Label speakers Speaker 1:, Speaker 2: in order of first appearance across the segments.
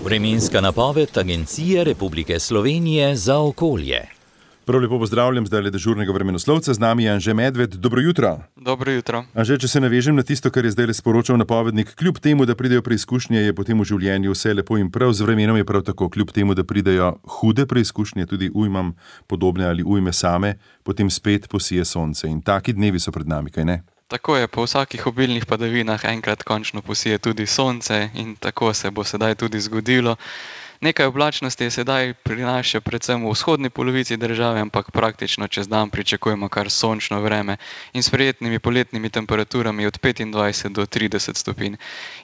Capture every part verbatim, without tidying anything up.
Speaker 1: Vremenska napoved Agencije Republike Slovenije za okolje.
Speaker 2: Prav lepo pozdravljam zdaj le dežurnega vremenoslovca, z nami je Anže Medved. Dobro jutro.
Speaker 3: Dobro jutro.
Speaker 2: Anže, če se navežem na tisto, kar je zdaj le sporočal napovednik, kljub temu, da pridejo preizkušnje, je potem v življenju vse lepo in prav, z vremenom je prav tako, kljub temu, da pridejo hude preizkušnje, tudi ujmam podobne ali ujme same, potem spet posije sonce in taki dnevi so pred nami, kaj ne?
Speaker 3: Tako je, po vsakih obilnih padavinah enkrat končno posije tudi sonce in tako se bo sedaj tudi zgodilo. Nekaj oblačnosti je sedaj prinaša predvsem v vzhodni polovici države, ampak praktično čez dan pričakujemo kar sončno vreme in s prijetnimi poletnimi temperaturami od petindvajset do trideset stopinj.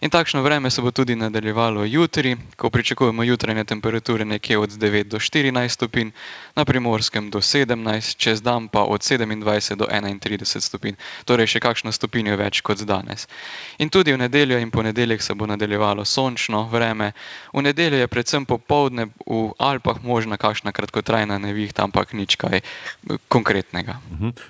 Speaker 3: In takšno vreme se bo tudi nadaljevalo jutri, ko pričakujemo jutranje temperature nekje od devet do štirinajst stopinj, na Primorskem do sedemnajst, čez dan pa od sedemindvajset do enaintrideset stopinj, torej še kakšno stopinjo več kot danes. In tudi v nedeljo in ponedeljek se bo nadaljevalo sončno vreme. V nedeljo je predvsem popoldne v Alpah možna kakšna kratkotrajna nevihta, ampak nič kaj konkretnega.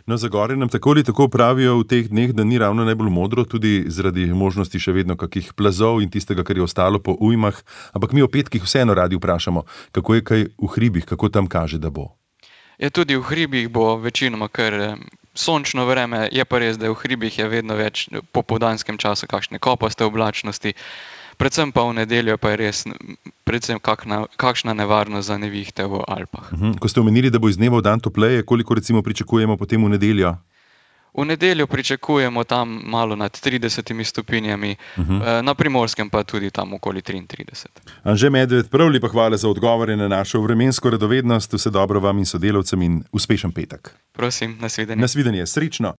Speaker 2: No, za gore nam tako ali tako pravijo v teh dneh, da ni ravno najbolj modro, tudi zaradi možnosti še vedno kakih plazov in tistega, kar je ostalo po ujmah, ampak mi o petkih vseeno radi vprašamo, kako je kaj v hribih, kako tam kaže, da bo.
Speaker 3: Ja, tudi v hribih bo večinoma kar sončno vreme, je pa res, da v hribih je vedno več po popoldanskem času kakšne kopaste oblačnosti. Predvsem pa v nedeljo pa je res predvsem kakšna, kakšna nevarnost za nevihte v Alpah.
Speaker 2: Uhum. Ko ste omenili, da bo iz dneva v dan topleje, koliko recimo pričakujemo potem v nedeljo?
Speaker 3: V nedeljo pričakujemo tam malo nad tridesetimi stopinjami, uhum. Na Primorskem pa tudi tam okoli triintrideset.
Speaker 2: Anže Medved, prav lepa hvala za odgovore na našo vremensko radovednost, vse dobro vam in sodelavcem in uspešen petek.
Speaker 3: Prosim, nasvidenje.
Speaker 2: Nasvidenje, srečno.